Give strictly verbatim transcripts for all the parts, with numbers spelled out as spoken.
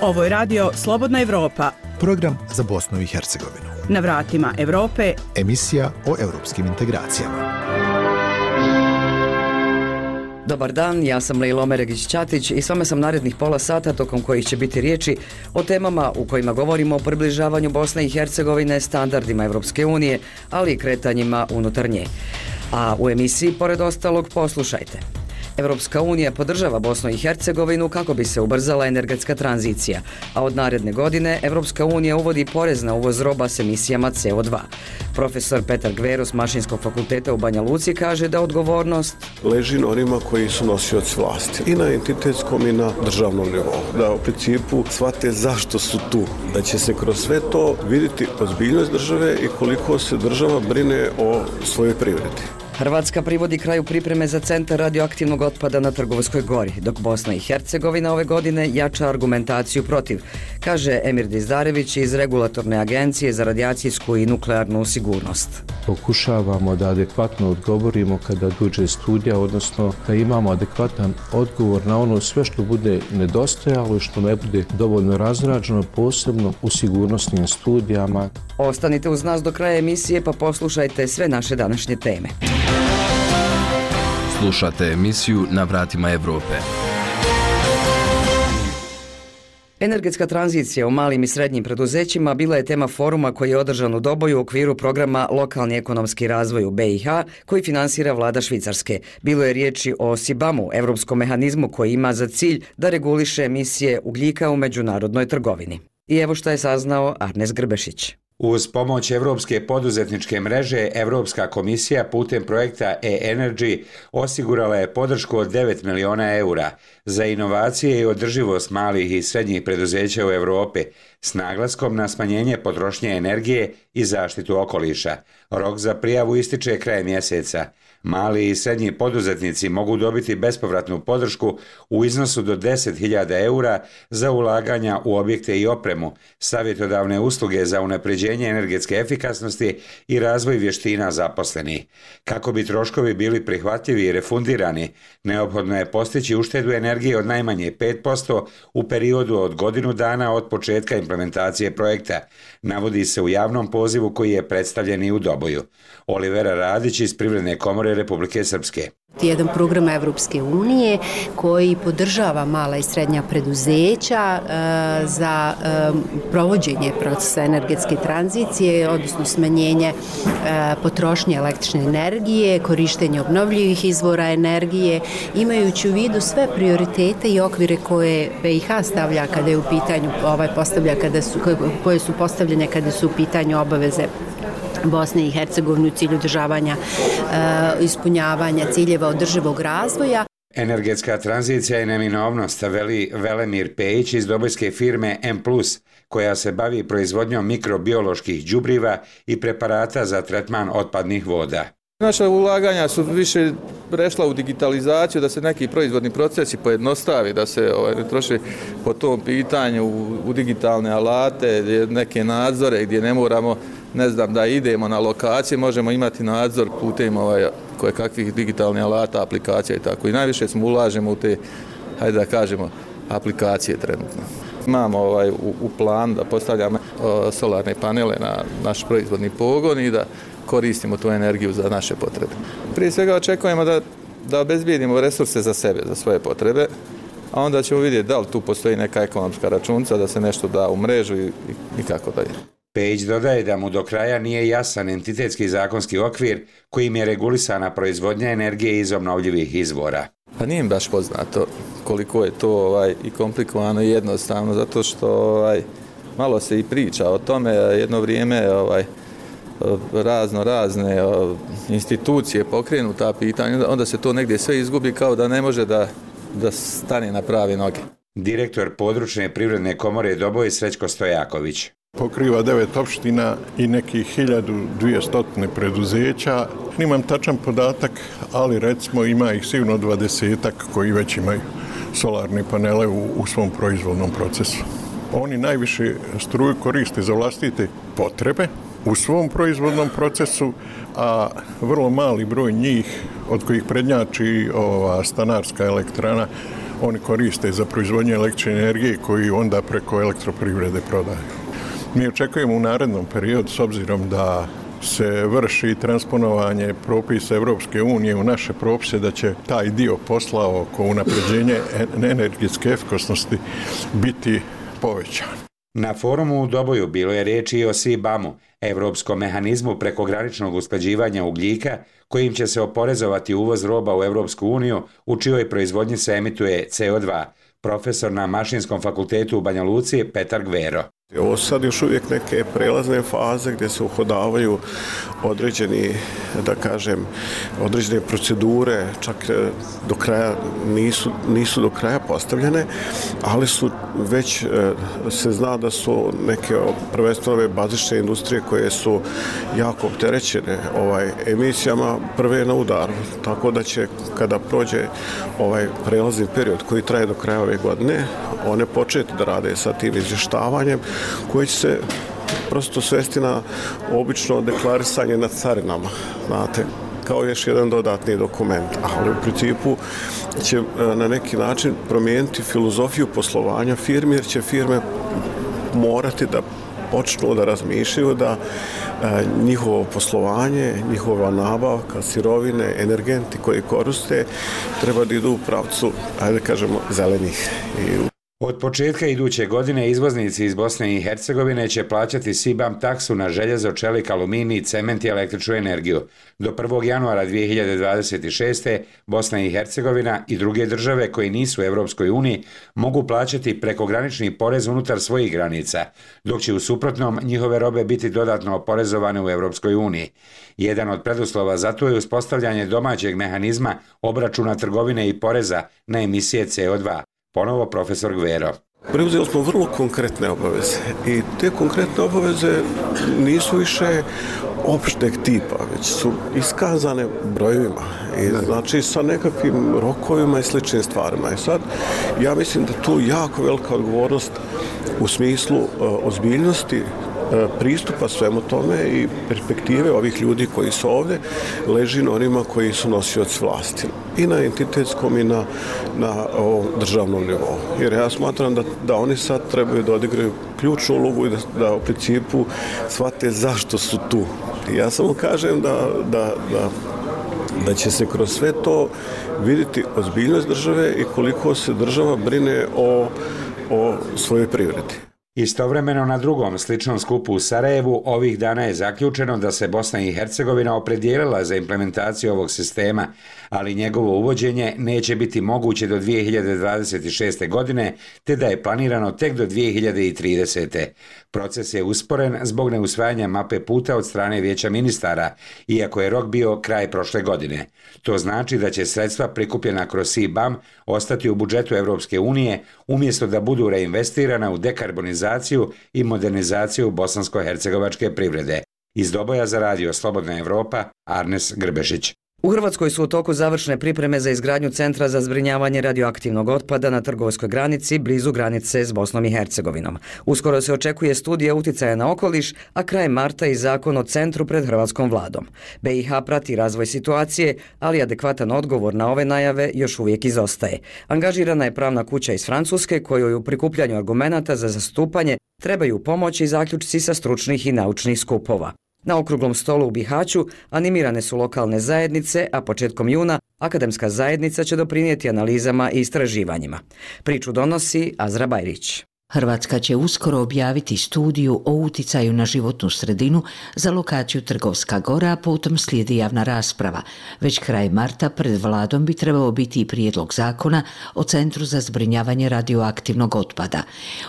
Ovo je radio Slobodna Evropa. Program za Bosnu i Hercegovinu. Na vratima Evrope. Emisija o europskim integracijama. Dobar dan, ja sam Lejla Omeregić-Ćatić i s vama sam narednih pola sata tokom kojih će biti riječi o temama u kojima govorimo o približavanju Bosne i Hercegovine standardima Evropske unije, ali i kretanjima unutar nje. A u emisiji, pored ostalog, poslušajte. Evropska unija podržava Bosnu i Hercegovinu kako bi se ubrzala energetska tranzicija, a od naredne godine Evropska unija uvodi porez na uvoz roba s emisijama C O dva. Profesor Petar Gvero s Mašinskog fakulteta u Banja Luci kaže da odgovornost leži na onima koji su nosioci vlasti, i na entitetskom i na državnom nivou. Da u principu shvate zašto su tu, da će se kroz sve to vidjeti ozbiljnost države i koliko se država brine o svojoj privredi. Hrvatska privodi kraju pripreme za centar radioaktivnog otpada na Trgovskoj gori, dok Bosna i Hercegovina ove godine jača argumentaciju protiv, kaže Emir Dizdarević iz Regulatorne agencije za radijacijsku i nuklearnu sigurnost. Pokušavamo da adekvatno odgovorimo kada dođe studija, odnosno da imamo adekvatan odgovor na ono sve što bude nedostajalo i što ne bude dovoljno razrađeno, posebno u sigurnosnim studijama. Ostanite uz nas do kraja emisije pa poslušajte sve naše današnje teme. Slušate emisiju Na vratima Evrope. Energetska tranzicija u malim i srednjim preduzećima bila je tema foruma koji je održan u Doboju u okviru programa Lokalni ekonomski razvoj u B i H koji finansira vlada Švicarske. Bilo je riječi o SIBAM-u, evropskom mehanizmu koji ima za cilj da reguliše emisije ugljika u međunarodnoj trgovini. I evo što je saznao Arnes Grbešić. Uz pomoć Evropske poduzetničke mreže, Evropska komisija putem projekta e-Energy osigurala je podršku od devet miliona eura za inovacije i održivost malih i srednjih preduzeća u Europi s naglaskom na smanjenje potrošnje energije i zaštitu okoliša. Rok za prijavu ističe kraj mjeseca. Mali i srednji poduzetnici mogu dobiti bespovratnu podršku u iznosu do deset hiljada eura za ulaganja u objekte i opremu, savjetodavne usluge za unapređenje energetske efikasnosti i razvoj vještina zaposlenih. Kako bi troškovi bili prihvatljivi i refundirani, neophodno je postići uštedu energije od najmanje pet posto u periodu od godinu dana od početka implementacije projekta, navodi se u javnom pozivu koji je predstavljen i u Doboju. Olivera Radić iz Privredne komore Republike Srpske. Jedan program Evropske unije koji podržava mala i srednja preduzeća e, za e, provođenje procesa energetske tranzicije, odnosno smanjenje e, potrošnje električne energije, korištenje obnovljivih izvora energije, imajući u vidu sve prioritete i okvire koje B i H stavlja kada je u pitanju ovaj postavlja kada su koje su postavljene kada su u pitanju obaveze Bosne i Hercegovine u cilju održavanja e, ispunjavanja ciljeva održivog razvoja. Energetska tranzicija je neminovnost, veli Velemir Pejić iz dobojske firme M plus, koja se bavi proizvodnjom mikrobioloških đubriva i preparata za tretman otpadnih voda. Naša ulaganja su više prešla u digitalizaciju, da se neki proizvodni procesi pojednostavi, da se ovaj, ne troši po tom pitanju u, u digitalne alate, neke nadzore gdje ne moramo, ne znam, da idemo na lokacije, možemo imati nadzor putem ovaj, koje kakvih digitalnih alata, aplikacija i tako. I najviše smo ulažemo u te, hajde da kažemo, aplikacije trenutno. Imamo ovaj, u, u plan da postavljamo o, solarne panele na naš proizvodni pogon i da koristimo tu energiju za naše potrebe. Prije svega očekujemo da, da obezbijedimo resurse za sebe, za svoje potrebe, a onda ćemo vidjeti da li tu postoji neka ekonomska računica, da se nešto da u mrežu i, i, i kako dalje. Pejić dodaje da mu do kraja nije jasan entitetski zakonski okvir kojim je regulisana proizvodnja energije iz obnovljivih izvora. Pa nije im baš poznato koliko je to ovaj, i komplikovano i jednostavno, zato što ovaj, malo se i priča o tome, jedno vrijeme ovaj, razno razne institucije pokrenu ta pitanja, onda se to negdje sve izgubi kao da ne može da, da stane na prave noge. Direktor područne privredne komore Doboj Srećko Stojaković. Pokriva devet opština i nekih hiljadu dvjesto preduzeća. Nimam tačan podatak, ali recimo ima ih sigurno dvadesetak koji već imaju solarne panele u, u svom proizvodnom procesu. Oni najviše struju koriste za vlastite potrebe u svom proizvodnom procesu, a vrlo mali broj njih, od kojih prednjači ova stanarska elektrana, oni koriste za proizvodnje električne energije koji onda preko elektroprivrede prodaju. Mi očekujemo u narednom periodu, s obzirom da se vrši transponovanje propisa Evropske unije u naše propise, da će taj dio posla oko unapređenja energetske efikasnosti biti povećan. Na forumu u Doboju bilo je riječi i o C B A M-u, Evropskom mehanizmu prekograničnog usklađivanja ugljika, kojim će se oporezovati uvoz roba u Evropsku uniju u čijoj proizvodnji se emituje C O dva. Profesor na Mašinskom fakultetu u Banja Luci Petar Gvero. Ovo su sad još uvijek neke prelazne faze gdje se uhodavaju određeni, da kažem, određene procedure, čak do kraja nisu, nisu do kraja postavljene, ali su već se zna da su neke prvenstveno ove bazične industrije koje su jako opterećene ovaj, emisijama prve na udaru. Tako da će kada prođe ovaj prelazni period koji traje do kraja ove godine, one početi da rade sa tim izvještavanjem koji će se prosto svesti na obično deklarisanje na carinama, znate, kao još jedan dodatni dokument, ali u principu će na neki način promijeniti filozofiju poslovanja firmi, jer će firme morati da počnu da razmišljaju da e, njihovo poslovanje, njihova nabavka, sirovine, energenti koji koriste treba da idu u pravcu, ajde kažemo, zelenih. I Od početka iduće godine izvoznici iz Bosne i Hercegovine će plaćati C B A M taksu na željezo, čelik, aluminij, cement i električnu energiju. Do prvog januara dvije hiljade dvadeset šeste. Bosna i Hercegovina i druge države koji nisu u Evropskoj uniji mogu plaćati prekogranični porez unutar svojih granica, dok će u suprotnom njihove robe biti dodatno oporezovane u Evropskoj uniji. Jedan od preduslova za to je uspostavljanje domaćeg mehanizma obračuna trgovine i poreza na emisije C O dva. Ponovo profesor Gvero. Preuzeli smo vrlo konkretne obaveze i te konkretne obaveze nisu više opšteg tipa, već su iskazane brojevima i znači sa nekakvim rokovima i sličnim stvarima. I sad ja mislim da tu jako velika odgovornost u smislu uh, ozbiljnosti pristupa svemu tome i perspektive ovih ljudi koji su ovdje leži na onima koji su nosioci vlasti. I na entitetskom i na, na ovom državnom nivou. Jer ja smatram da, da oni sad trebaju da odigraju ključnu ulogu i da, da u principu shvate zašto su tu. I ja samo kažem da, da, da, da će se kroz sve to vidjeti ozbiljnost države i koliko se država brine o, o svojoj privredi. Istovremeno na drugom sličnom skupu u Sarajevu ovih dana je zaključeno da se Bosna i Hercegovina opredijelila za implementaciju ovog sistema, ali njegovo uvođenje neće biti moguće do dvije hiljade dvadeset šeste. godine, te da je planirano tek do dvije hiljade tridesete. Proces je usporen zbog neusvajanja mape puta od strane Vijeća ministara, iako je rok bio kraj prošle godine. To znači da će sredstva prikupljena kroz C B A M ostati u budžetu Evropske unije, umjesto da budu reinvestirana u dekarbonizaciju i modernizaciju bosansko-hercegovačke privrede. Iz Doboja za radio Slobodna Evropa, Arnes Grbešić. U Hrvatskoj su u toku završne pripreme za izgradnju centra za zbrinjavanje radioaktivnog otpada na trgovskoj granici blizu granice s Bosnom i Hercegovinom. Uskoro se očekuje studija uticaja na okoliš, a krajem marta i zakon o centru pred hrvatskom vladom. B i H prati razvoj situacije, ali adekvatan odgovor na ove najave još uvijek izostaje. Angažirana je pravna kuća iz Francuske kojoj u prikupljanju argumenata za zastupanje trebaju pomoći zaključci sa stručnih i naučnih skupova. Na okruglom stolu u Bihaću animirane su lokalne zajednice, a početkom juna akademska zajednica će doprinijeti analizama i istraživanjima. Priču donosi Azra Bajrić. Hrvatska će uskoro objaviti studiju o uticaju na životnu sredinu za lokaciju Trgovska gora, a potom slijedi javna rasprava. Već kraj marta pred vladom bi trebao biti i prijedlog zakona o Centru za zbrinjavanje radioaktivnog otpada.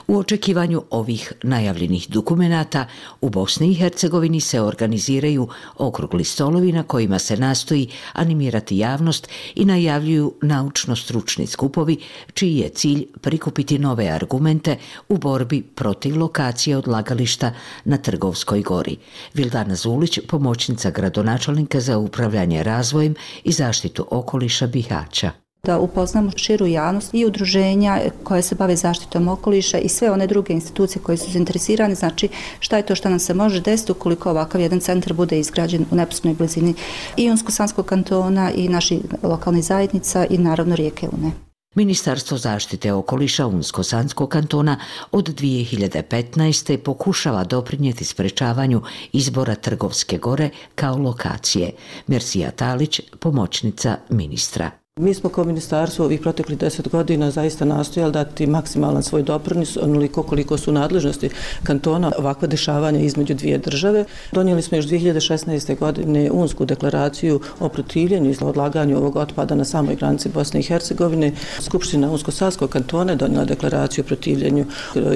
U očekivanju ovih najavljenih dokumenata u Bosni i Hercegovini se organiziraju okrugli stolovi na kojima se nastoji animirati javnost i najavljuju naučno-stručni skupovi čiji je cilj prikupiti nove argumente u borbi protiv lokacije odlagališta na Trgovskoj gori. Vildana Zulić, pomoćnica gradonačelnika za upravljanje razvojem i zaštitu okoliša Bihaća. Da upoznamo širu javnost i udruženja koje se bave zaštitom okoliša i sve one druge institucije koje su zainteresirane, znači šta je to što nam se može desiti ukoliko ovakav jedan centar bude izgrađen u neposrednoj blizini i Unsko-Sanskog kantona i naših lokalnih zajednica i naravno rijeke Une. Ministarstvo zaštite okoliša Unsko-Sanskog kantona od dvije hiljade petnaeste. pokušava doprinijeti sprečavanju izbora Trgovske gore kao lokacije. Mersija Talić, pomoćnica ministra. Mi smo kao ministarstvo ovih proteklih deset godina zaista nastojali dati maksimalan svoj doprinos, onoliko koliko su nadležnosti kantona ovakva dešavanja između dvije države. Donijeli smo još dvije hiljade šesnaeste. godine Unsku deklaraciju o protivljenju i odlaganju ovog otpada na samoj granici Bosne i Hercegovine. Skupština Unsko-Sanskog kantona je donijela deklaraciju o protivljenju.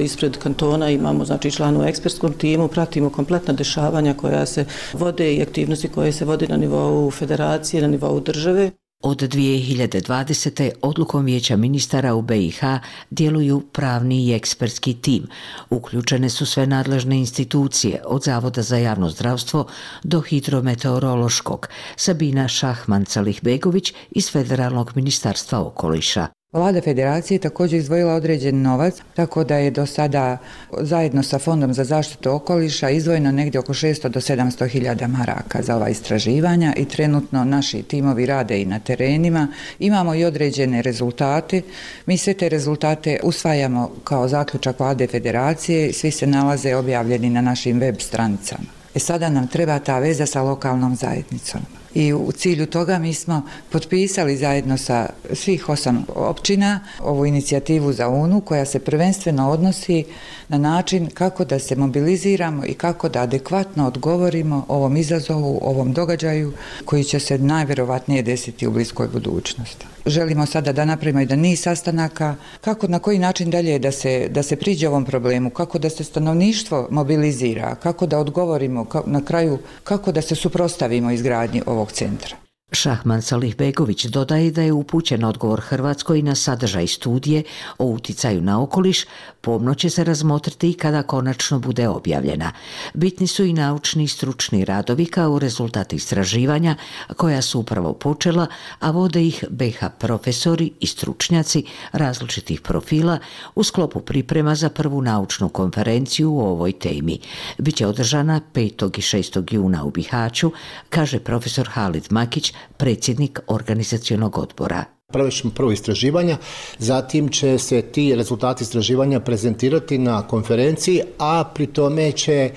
Ispred kantona imamo znači članu u ekspertskom timu, pratimo kompletna dešavanja koja se vode i aktivnosti koje se vode na nivou federacije, na nivou države. Od dvije hiljade dvadesete. odlukom Vijeća ministara u B i H djeluju pravni i ekspertski tim. Uključene su sve nadležne institucije, od Zavoda za javno zdravstvo do hidrometeorološkog. Sabina Šahman-Calih-Begović iz Federalnog ministarstva okoliša. Vlada federacije također izdvojila određen novac, tako da je do sada zajedno sa Fondom za zaštitu okoliša izdvojeno negdje oko šesto do sedamsto hiljada maraka za ova istraživanja i trenutno naši timovi rade i na terenima. Imamo i određene rezultate. Mi sve te rezultate usvajamo kao zaključak Vlade federacije, svi se nalaze objavljeni na našim web stranicama. E sada nam treba ta veza sa lokalnom zajednicom. I u cilju toga mi smo potpisali zajedno sa svih osam općina ovu inicijativu za U N U koja se prvenstveno odnosi na način kako da se mobiliziramo i kako da adekvatno odgovorimo ovom izazovu, ovom događaju koji će se najvjerovatnije desiti u bliskoj budućnosti. Želimo sada da napravimo jedan niz sastanaka, kako na koji način dalje da se, da se priđe ovom problemu, kako da se stanovništvo mobilizira, kako da odgovorimo na kraju, kako da se suprotstavimo izgradnji ovog centra. Šahman-Calih-Begović dodaje da je upućen odgovor Hrvatskoj na sadržaj studije o uticaju na okoliš, pomno će se razmotriti i kada konačno bude objavljena. Bitni su i naučni i stručni radovi kao rezultat istraživanja koja su upravo počela, a vode ih B i H profesori i stručnjaci različitih profila u sklopu priprema za prvu naučnu konferenciju u ovoj temi. Biće održana petog i šestog juna u Bihaću, kaže profesor Halid Makić, predsjednik organizacionog odbora. Pravit ćemo prvo istraživanja, zatim će se ti rezultati istraživanja prezentirati na konferenciji, a pri tome će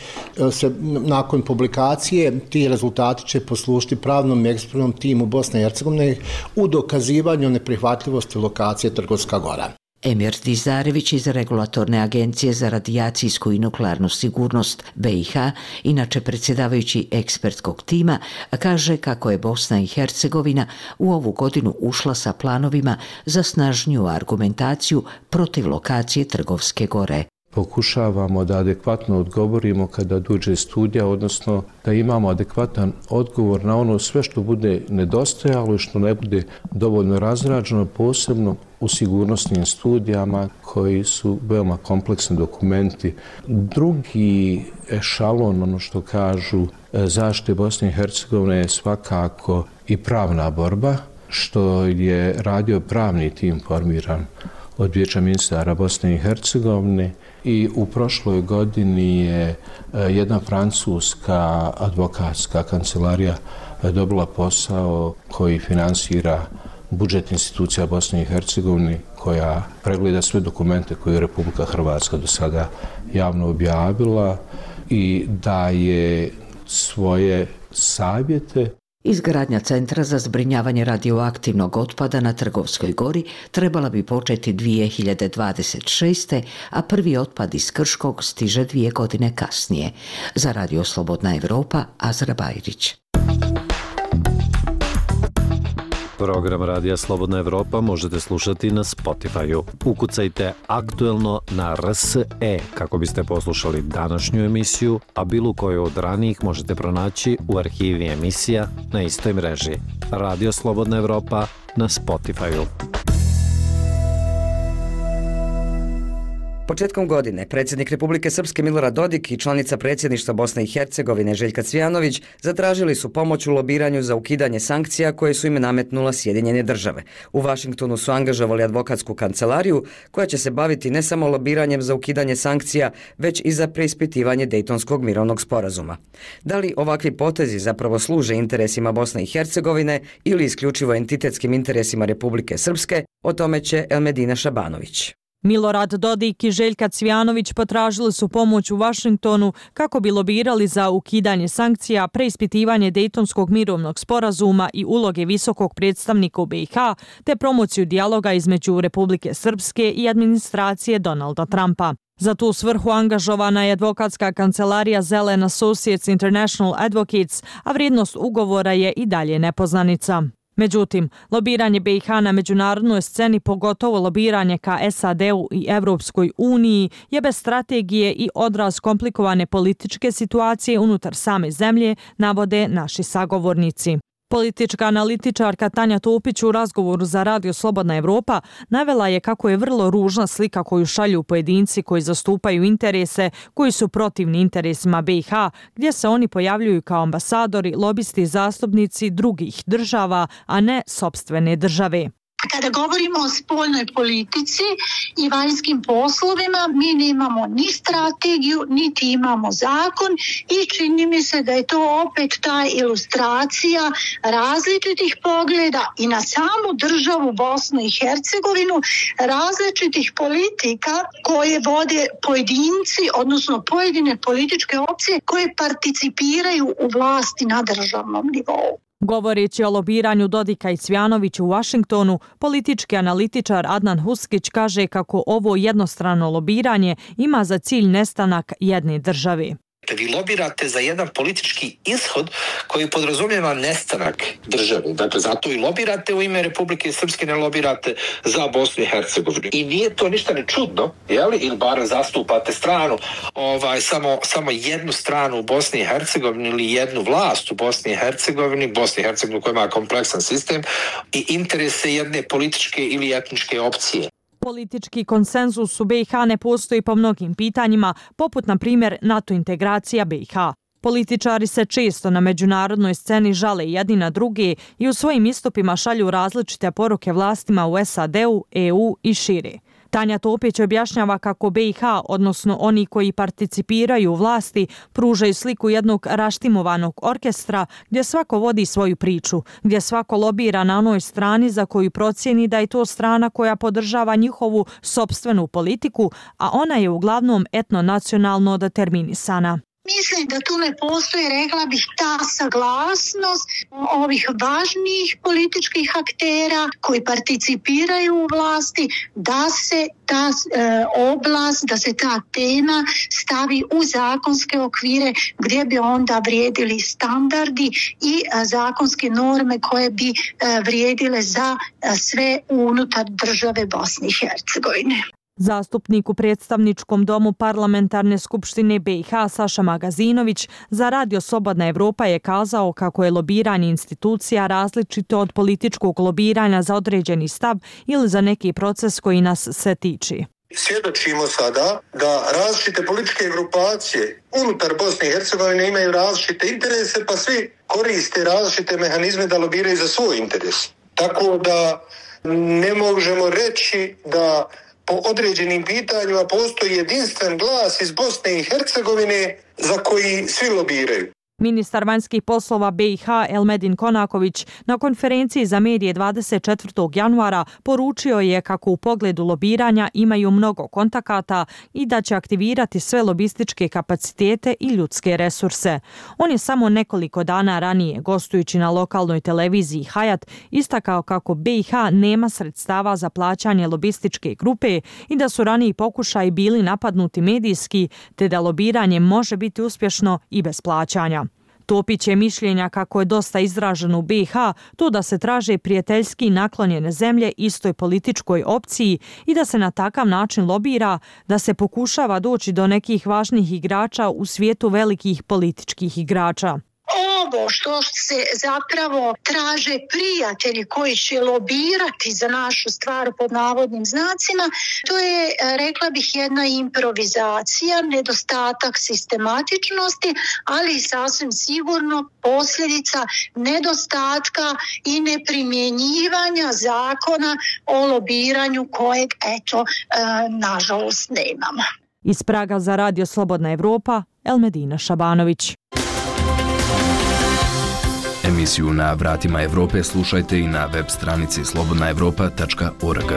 se nakon publikacije ti rezultati će poslužiti pravnom i ekspertnom timu Bosne i Hercegovine u dokazivanju neprihvatljivosti lokacije Trgovska gora. Emir Dizarević iz Regulatorne agencije za radijacijsku i nuklearnu sigurnost B i H, inače predsjedavajući ekspertskog tima, kaže kako je Bosna i Hercegovina u ovu godinu ušla sa planovima za snažniju argumentaciju protiv lokacije Trgovske gore. Pokušavamo da adekvatno odgovorimo kada dođe studija, odnosno da imamo adekvatan odgovor na ono sve što bude nedostajalo i što ne bude dovoljno razrađeno, posebno u sigurnosnim studijama koji su veoma kompleksni dokumenti. Drugi ešalon, ono što kažu zaštite Bosne i Hercegovine, je svakako i pravna borba, što je radio pravni tim formiran od Vijeća ministara Bosne i Hercegovine i u prošloj godini je jedna francuska advokatska kancelarija dobila posao koji finansira budžet institucija Bosne i Hercegovine, koja pregleda sve dokumente koje je Republika Hrvatska do sada javno objavila i daje svoje savjete. Izgradnja centra za zbrinjavanje radioaktivnog otpada na Trgovskoj gori trebala bi početi dvije hiljade dvadeset šeste. a prvi otpad iz Krškog stiže dvije godine kasnije. Za Radio Slobodna Evropa, Azra Bajrić. Program Radija Slobodna Evropa možete slušati na Spotify-u. Ukucajte aktuelno na R S E kako biste poslušali današnju emisiju, a bilo koju od ranijih možete pronaći u arhivi emisija na istoj mreži. Radio Slobodna Evropa na Spotify-u. Početkom godine predsjednik Republike Srpske Milorad Dodik i članica predsjedništva Bosne i Hercegovine Željka Cvijanović zatražili su pomoć u lobiranju za ukidanje sankcija koje su im nametnula Sjedinjene države. U Vašingtonu su angažovali advokatsku kancelariju koja će se baviti ne samo lobiranjem za ukidanje sankcija, već i za preispitivanje Dejtonskog mirovnog sporazuma. Da li ovakvi potezi zapravo služe interesima Bosne i Hercegovine ili isključivo entitetskim interesima Republike Srpske, o tome će Elmedina Šabanović. Milorad Dodik i Željka Cvijanović potražili su pomoć u Vašingtonu kako bi lobirali za ukidanje sankcija, preispitivanje Dejtonskog mirovnog sporazuma i uloge visokog predstavnika u B i H, te promociju dijaloga između Republike Srpske i administracije Donalda Trumpa. Za tu svrhu angažovana je advokatska kancelarija Zelen Associates International Advocates, a vrijednost ugovora je i dalje nepoznanica. Međutim, lobiranje B i H na međunarodnoj sceni, pogotovo lobiranje ka S A D-u i Evropskoj uniji, je bez strategije i odraz komplikovane političke situacije unutar same zemlje, navode naši sagovornici. Politička analitičarka Tanja Topić u razgovoru za Radio Slobodna Evropa navela je kako je vrlo ružna slika koju šalju pojedinci koji zastupaju interese koji su protivni interesima B i H, gdje se oni pojavljuju kao ambasadori, lobisti i zastupnici drugih država, a ne sopstvene države. Kada govorimo o spoljnoj politici i vanjskim poslovima, mi nemamo ni strategiju, niti imamo zakon i čini mi se da je to opet ta ilustracija različitih pogleda i na samu državu Bosnu i Hercegovinu, različitih politika koje vode pojedinci, odnosno pojedine političke opcije koje participiraju u vlasti na državnom nivou. Govoreći o lobiranju Dodika i Cvijanovića u Vašingtonu, politički analitičar Adnan Huskić kaže kako ovo jednostrano lobiranje ima za cilj nestanak jedne države. Vi lobirate za jedan politički ishod koji podrazumijeva nestanak države. Dakle, zato i lobirate u ime Republike Srpske, ne lobirate za Bosnu i Hercegovinu. I nije to ništa ne čudno, jeli? Ili bar zastupate stranu, ovaj, samo, samo jednu stranu u Bosni i Hercegovini ili jednu vlast u Bosni i Hercegovini, Bosni i Hercegovini koja ima kompleksan sistem i interese jedne političke ili etničke opcije. Politički konsenzus u B i H ne postoji po mnogim pitanjima, poput na primjer NATO integracija B i H. Političari se često na međunarodnoj sceni žale jedni na druge i u svojim istupima šalju različite poruke vlastima u S A D-u, E U i šire. Tanja Topić objašnjava kako B i H, odnosno oni koji participiraju u vlasti, pružaju sliku jednog raštimovanog orkestra gdje svako vodi svoju priču, gdje svako lobira na onoj strani za koju procijeni da je to strana koja podržava njihovu sopstvenu politiku, a ona je uglavnom etnonacionalno determinisana. Mislim da tu ne postoji, rekla bih, ta saglasnost ovih važnijih političkih aktera koji participiraju u vlasti da se ta e, oblast, da se ta tema stavi u zakonske okvire gdje bi onda vrijedili standardi i a, zakonske norme koje bi a, vrijedile za a, sve unutar države Bosne i Hercegovine. Zastupnik u predstavničkom domu Parlamentarne skupštine B i H Saša Magazinović za Radio Slobodna Evropa je kazao kako je lobiranje institucija različito od političkog lobiranja za određeni stav ili za neki proces koji nas se tiče. Svjedočimo sada da različite političke grupacije unutar Bosne i Hercegovine imaju različite interese, pa svi koriste različite mehanizme da lobiraju za svoj interes. Tako da ne možemo reći da po određenim pitanjima postoji jedinstven glas iz Bosne i Hercegovine za koji svi lobiraju. Ministar vanjskih poslova B i H Elmedin Konaković na konferenciji za medije dvadeset četvrtog januara poručio je kako u pogledu lobiranja imaju mnogo kontakata i da će aktivirati sve lobističke kapacitete i ljudske resurse. On je samo nekoliko dana ranije, gostujući na lokalnoj televiziji Hayat, istakao kako B i H nema sredstava za plaćanje lobističke grupe i da su raniji pokušaji bili napadnuti medijski, te da lobiranje može biti uspješno i bez plaćanja. Topić je mišljenja kako je dosta izraženo u B i H to da se traže prijateljski naklonjene zemlje istoj političkoj opciji i da se na takav način lobira, da se pokušava doći do nekih važnih igrača u svijetu velikih političkih igrača. ovo što se zapravo traže prijatelji koji će lobirati za našu stvar pod navodnim znacima, to je, rekla bih, jedna improvizacija, nedostatak sistematičnosti, ali sasvim sigurno posljedica nedostatka i neprimjenjivanja zakona o lobiranju kojeg, eto, nažalost nemamo. Iz Praga za Radio Slobodna Evropa, Elmedina Šabanović. Emisiju Na vratima Evrope slušajte i na web stranici slobodna evropa tačka org.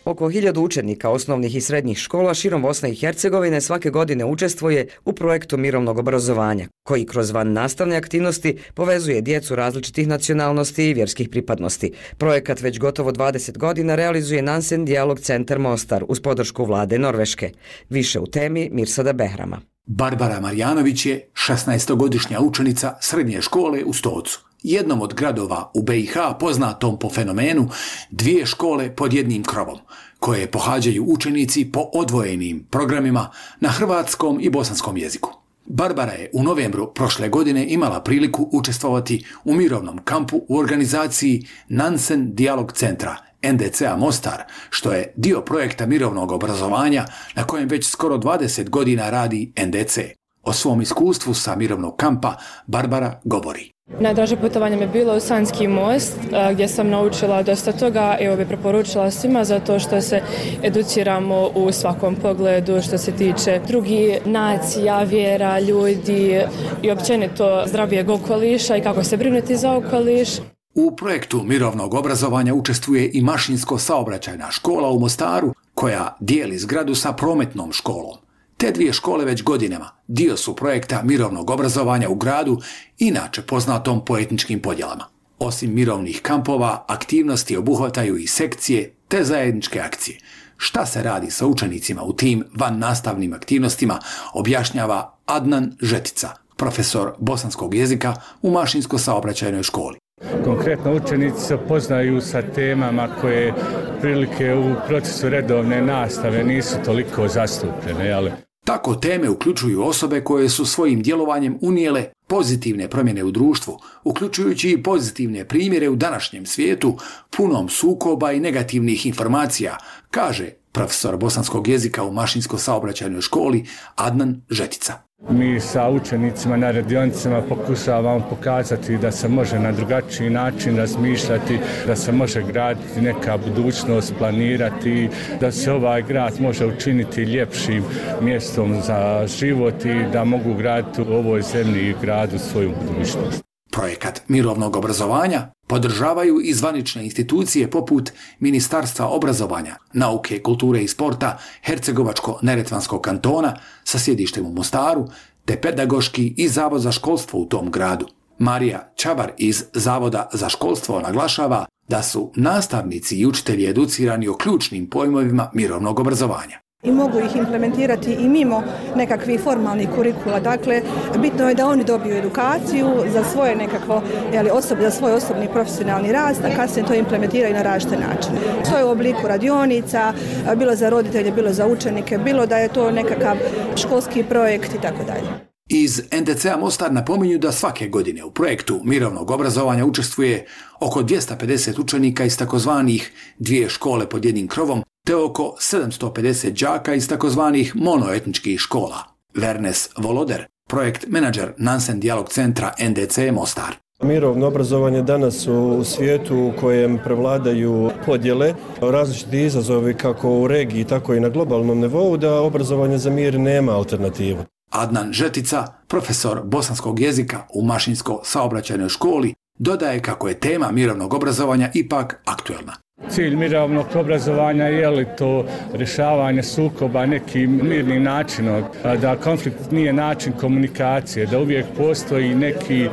Oko hiljadu učenika osnovnih i srednjih škola širom Bosne i Hercegovine svake godine učestvuje u projektu mirovnog obrazovanja, koji kroz van nastavne aktivnosti povezuje djecu različitih nacionalnosti i vjerskih pripadnosti. Projekat već gotovo dvadeset godina realizuje Nansen Dijalog centar Mostar uz podršku vlade Norveške. Više u temi Mirsada Behrama. Barbara Marjanović je šesnaestogodišnja učenica srednje škole u Stocu, jednom od gradova u be i ha poznatom po fenomenu dvije škole pod jednim krovom, koje pohađaju učenici po odvojenim programima na hrvatskom i bosanskom jeziku. Barbara je u novembru prošle godine imala priliku učestvovati u mirovnom kampu u organizaciji Nansen Dijalog centra en de ce a Mostar, što je dio projekta mirovnog obrazovanja na kojem već skoro dvadeset godina radi en de ce. O svom iskustvu sa mirovnog kampa Barbara govori. Najdraže putovanje mi je bilo u Sanski most, gdje sam naučila dosta toga i ovo bi preporučila svima zato što se educiramo u svakom pogledu što se tiče drugih nacija, vjera, ljudi i općenito zdravijeg okoliša i kako se brinuti za okoliš. U projektu mirovnog obrazovanja učestvuje i mašinsko-saobraćajna škola u Mostaru, koja dijeli zgradu sa prometnom školom. Te dvije škole već godinama dio su projekta mirovnog obrazovanja u gradu, inače poznatom po etničkim podjelama. Osim mirovnih kampova, aktivnosti obuhvataju i sekcije te zajedničke akcije. Šta se radi sa učenicima u tim van nastavnim aktivnostima, objašnjava Adnan Žetica, profesor bosanskog jezika u mašinsko-saobraćajnoj školi. Konkretno učenici se poznaju sa temama koje prilike u procesu redovne nastave nisu toliko zastupljene, ali... Tako teme uključuju osobe koje su svojim djelovanjem unijele pozitivne promjene u društvu, uključujući i pozitivne primjere u današnjem svijetu punom sukoba i negativnih informacija, kaže profesor bosanskog jezika u mašinsko-saobraćajnoj školi Adnan Žetica. Mi sa učenicima na radionicama pokušavamo pokazati da se može na drugačiji način razmišljati, da se može graditi neka budućnost, planirati, da se ovaj grad može učiniti ljepšim mjestom za život i da mogu graditi u ovoj zemlji i gradu svoju budućnost. Projekat mirovnog obrazovanja podržavaju i zvanične institucije poput Ministarstva obrazovanja, nauke, kulture i sporta Hercegovačko-neretvanskog kantona sa sjedištem u Mostaru, te pedagoški i Zavod za školstvo u tom gradu. Marija Čabar iz Zavoda za školstvo naglašava da su nastavnici i učitelji educirani o ključnim pojmovima mirovnog obrazovanja. I mogu ih implementirati i mimo nekakvih formalnih kurikula. Dakle, bitno je da oni dobiju edukaciju za svoje nekakvo, jeli, osob, za svoj osobni profesionalni rast, a kasnije to implementiraju na različite načine. To je u obliku radionica, bilo za roditelje, bilo za učenike, bilo da je to nekakav školski projekt i tako dalje. Iz en de ce a Mostar napominju da svake godine u projektu mirovnog obrazovanja učestvuje oko dvjesto pedeset učenika iz takozvanih dvije škole pod jednim krovom, te oko sedamsto pedeset đaka iz takozvanih monoetničkih škola. Vernes Voloder, projekt menadžer Nansen Dijalog centra en de ce Mostar. Mirovno obrazovanje danas u svijetu u kojem prevladaju podjele, različiti izazovi kako u regiji, tako i na globalnom nivou, da obrazovanje za mir nema alternativu. Adnan Žetica, profesor bosanskog jezika u mašinsko-saobraćajnoj školi, dodaje kako je tema mirovnog obrazovanja ipak aktuelna. Cilj mirovnog obrazovanja je li to rješavanje sukoba nekim mirnim načinom, da konflikt nije način komunikacije, da uvijek postoji neki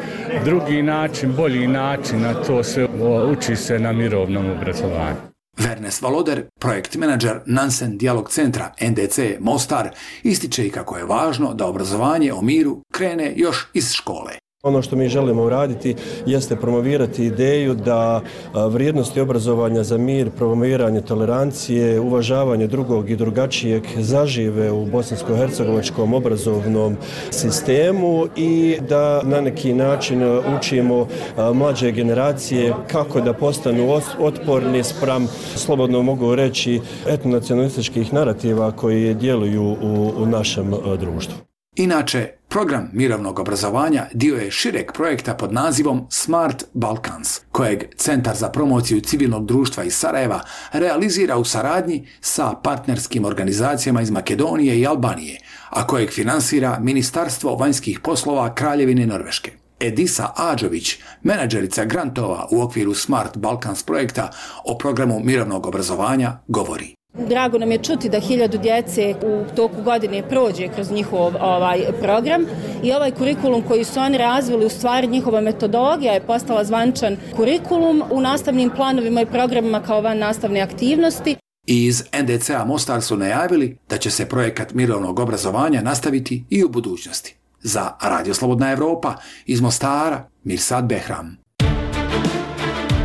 drugi način, bolji način, a to sve uči se na mirovnom obrazovanju. Vernes Voloder, projekt menadžer Nansen Dijalog centra en de ce Mostar, ističe i kako je važno da obrazovanje o miru krene još iz škole. Ono što mi želimo uraditi jeste promovirati ideju da vrijednosti obrazovanja za mir, promoviranje tolerancije, uvažavanje drugog i drugačijeg zažive u bosansko-hercegovačkom obrazovnom sistemu i da na neki način učimo mlađe generacije kako da postanu otporni spram, slobodno mogu reći, etnonacionalističkih narativa koji djeluju u, u našem društvu. Inače, program mirovnog obrazovanja dio je šireg projekta pod nazivom Smart Balkans, kojeg Centar za promociju civilnog društva iz Sarajeva realizira u saradnji sa partnerskim organizacijama iz Makedonije i Albanije, a kojeg finansira Ministarstvo vanjskih poslova Kraljevine Norveške. Edisa Ađović, menadžerica grantova u okviru Smart Balkans projekta o programu mirovnog obrazovanja, govori. Drago nam je čuti da hiljadu djece u toku godine prođe kroz njihov ovaj program i ovaj kurikulum koji su oni razvili, u stvari njihova metodologija je postala zvančan kurikulum u nastavnim planovima i programima kao van nastavne aktivnosti. Iz en de ce a Mostar su najavili da će se projekat mirovnog obrazovanja nastaviti i u budućnosti. Za Radio Slobodna Evropa iz Mostara, Mirsad Behram.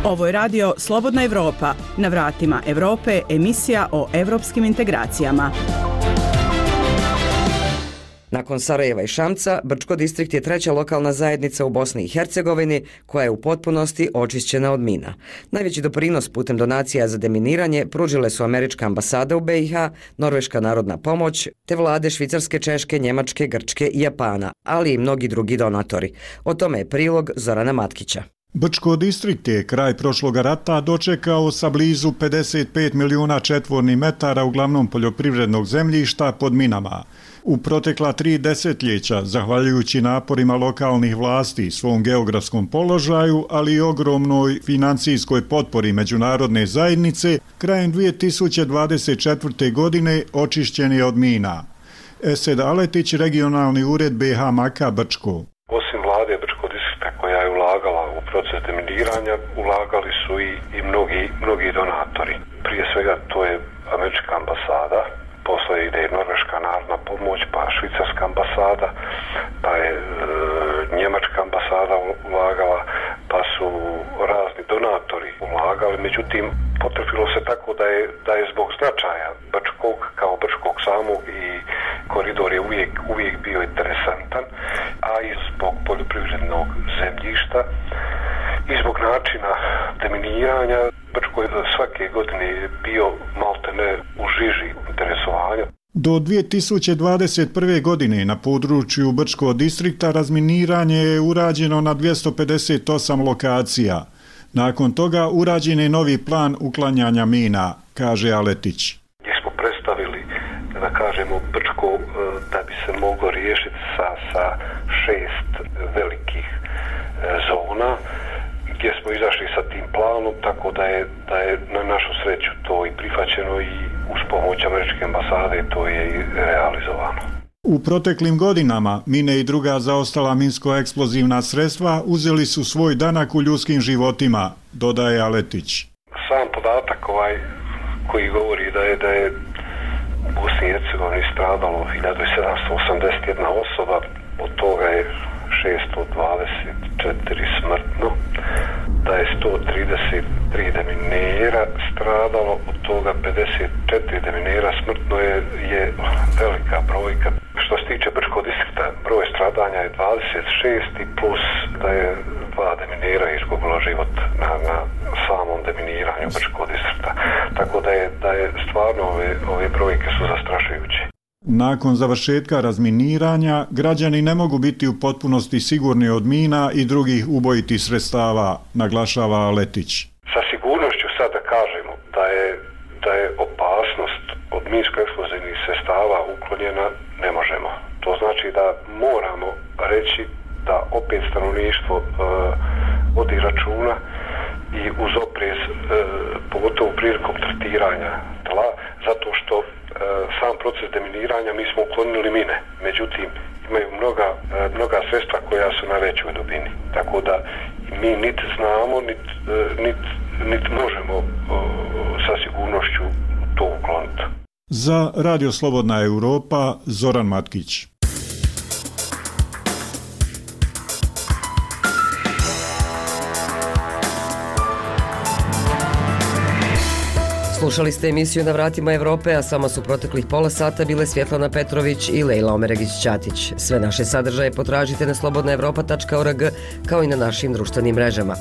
Ovo je radio Slobodna Evropa, na vratima Evrope, emisija o evropskim integracijama. Nakon Sarajeva i Šamca, Brčko distrikt je treća lokalna zajednica u Bosni i Hercegovini koja je u potpunosti očišćena od mina. Najveći doprinos putem donacija za deminiranje pružile su američka ambasada u be i ha, Norveška narodna pomoć, te vlade Švicarske, Češke, Njemačke, Grčke i Japana, ali i mnogi drugi donatori. O tome je prilog Zorana Matkića. Brčko distrikt je kraj prošloga rata dočekao sa blizu pedeset pet milijuna četvornih metara uglavnom poljoprivrednog zemljišta pod minama. U protekla tri desetljeća, zahvaljujući naporima lokalnih vlasti, svom geografskom položaju, ali i ogromnoj financijskoj potpori međunarodne zajednice, krajem dvije tisuće dvadeset četvrte. godine očišćen je od mina. Esed Aletić, regionalni ured be i ha Maka Brčko. Osim vlade Brčko distrikta koja je ulagala u proces deminiranja, ulagali su i, i mnogi, mnogi donatori. Prije svega to je američka ambasada, posle ide i Norveška narodna pomoć, pa švicarska ambasada, pa je e, njemačka ambasada ulagala, pa su razni donatori ulagali. Međutim, potrefilo se tako da je, da je zbog značaja Brčkog kao Brčkog samog i koridor je uvijek, uvijek bio interesantan, a i zbog poljoprivrednog zemljišta i zbog načina deminiranja Brčko je svake godine bio maltene u žiži interesovanja. Do dvije tisuće dvadeset prve. godine na području Brčkog distrikta razminiranje je urađeno na dvjesto pedeset osam lokacija. Nakon toga urađen je novi plan uklanjanja mina, kaže Aletić. Gdje smo predstavili, da kažemo, Brčko da bi se moglo riješiti sa, sa šest velikih zona, gdje smo izašli sa tim planom, tako da je, da je na našu sreću to i prihvaćeno i uz pomoć američke ambasade to je i realizovano. U proteklim godinama mine i druga zaostala minsko-eksplozivna sredstva uzeli su svoj danak u ljudskim životima, dodaje Aletić. Sam podatak ovaj koji govori da je da je u Bosni i Hercegovini stradalo hiljadu sedamsto osamdeset jedna osoba, od toga je šesto dvadeset četiri smrtno, da je sto trideset tri deminera stradalo, od toga pedeset četiri deminera smrtno je, je velika brojka. Što se tiče Brčkog distrikta, broj stradanja je dvadeset šest i plus da je dva deminera izgubilo život na, na samom deminiranju Brčkog distrikta. Tako da je, da je stvarno ove, ove brojke su zastrašujuće. Nakon završetka razminiranja, građani ne mogu biti u potpunosti sigurni od mina i drugih ubojitih sredstava, naglašava Aletić. Sa sigurnošću sad da kažemo da je, da je opasnost od minsko-eksplozivnih sredstava uklonjena, ne možemo. To znači da moramo reći da opet stanovništvo e, vodi računa i uz oprez, e, pogotovo prilikom tretiranja tla, zato što e, sam proces deminiranja mi smo uklonili mine, međutim imaju mnoga, e, mnoga sredstva koja su na većoj dubini, tako da mi niti znamo, niti nit, nit možemo e, sa sigurnošću to ukloniti. Za Radio Slobodna Evropa, Zoran Matkić. Slušali ste emisiju Na vratima Evrope, a samo su proteklih pola sata bile Svjetlana Petrović i Lejla Omeregić-Ćatić. Sve naše sadržaje potražite na slobodna evropa tačka org kao i na našim društvenim mrežama.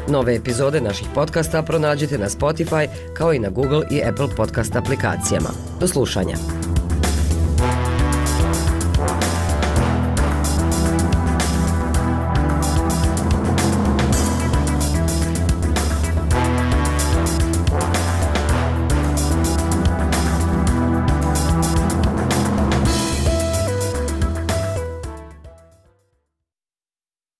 Nove epizode naših podcasta pronađite na Spotify kao i na Google i Apple podcast aplikacijama. Do slušanja.